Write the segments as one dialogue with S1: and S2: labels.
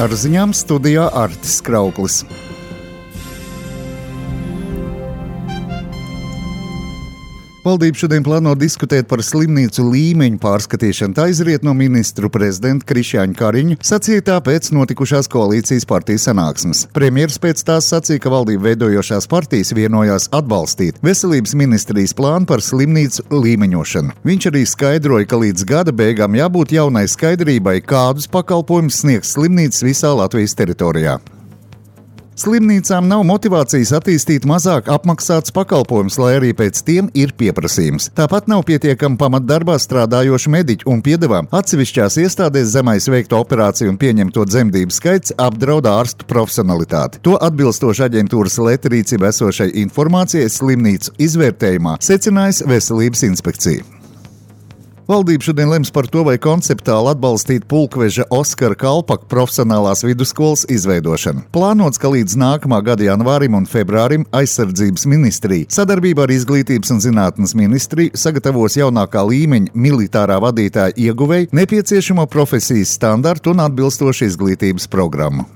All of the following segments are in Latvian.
S1: Ar ziņām studijā Artis Krauklis. Valdība šodien plāno diskutēt par slimnīcu līmeņu pārskatīšanu. Tā izriet no ministru prezidenta Krišjāņa Kariņa sacītā pēc notikušās koalīcijas partiju sanāksmes. Premjeras pēc tās sacīja, ka valdību veidojošās partijas vienojās atbalstīt veselības ministrijas plānu par slimnīcu līmeņošanu. Viņš arī skaidroja, ka līdz gada beigām jābūt jaunai skaidrībai, kādus pakalpojumus sniegs slimnīcas visā Latvijas teritorijā. Slimnīcām nav motivācijas attīstīt mazāk apmaksātus pakalpojumus, lai arī pēc tiem ir pieprasījums. Tāpat nav pietiekami pamatdarbā strādājošu mediķu un piedevām. Atsevišķās iestādēs zemais veikto operāciju un pieņemto dzemdību skaits apdraud ārstu profesionalitāti. To atbilstoši aģentūras Leta rīcībā esošai informācijai slimnīcu izvērtējumā secinājusi Veselības inspekcija. Valdība šodien lems par to, vai konceptuāli atbalstīt Pulkveža Oskara Kalpaka profesionālās vidusskolas izveidošanu. Plānots, ka līdz nākamā gada janvārim un februārim aizsardzības ministrija sadarbībā ar Izglītības un zinātnes ministriju sagatavos jaunākā līmeņa militārā vadītāja ieguvēju nepieciešamo profesijas standartu un atbilstošu izglītības programmu.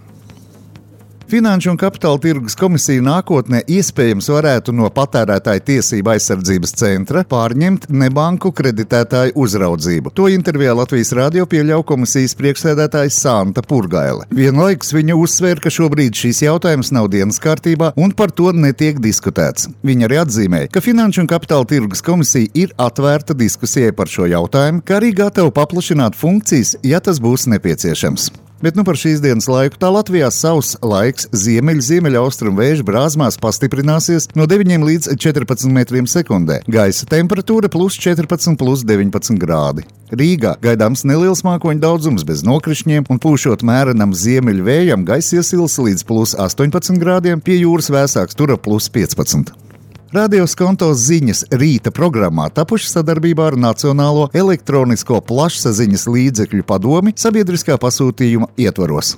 S1: Finanšu un kapitāla tirgus komisija nākotnē iespējams varētu no patērētāju tiesību aizsardzības centra pārņemt nebanku kreditētāju uzraudzību. To intervijā Latvijas radio pieļauj komisijas priekšsēdētājs Santa Purgaile. Vienlaikus viņa uzsvēra, ka šobrīd šis jautājums nav dienas kārtībā un par to netiek diskutēts. Viņa arī atzīmēja, ka Finanšu un kapitāla tirgus komisija ir atvērta diskusijai par šo jautājumu, kā arī gatava paplašināt funkcijas, ja tas būs nepieciešams. Bet par šīs dienas laiku tā Latvijā sauss laiks ziemeļaustrumu vēju brāzmās pastiprināsies no 9 līdz 14 metriem sekundē. Gaisa temperatūra +14, +19 grādi. Rīgā gaidāms neliels mākoņu daudzums bez nokrišņiem un pūšot mērenam ziemeļu vējam gaisa iesils līdz +18 grādiem, pie jūras vēsāks tur +15. Radio Skonto ziņas rīta programmā tapuši sadarbībā ar Nacionālo elektronisko plašsaziņas līdzekļu padomi sabiedriskā pasūtījuma ietvaros.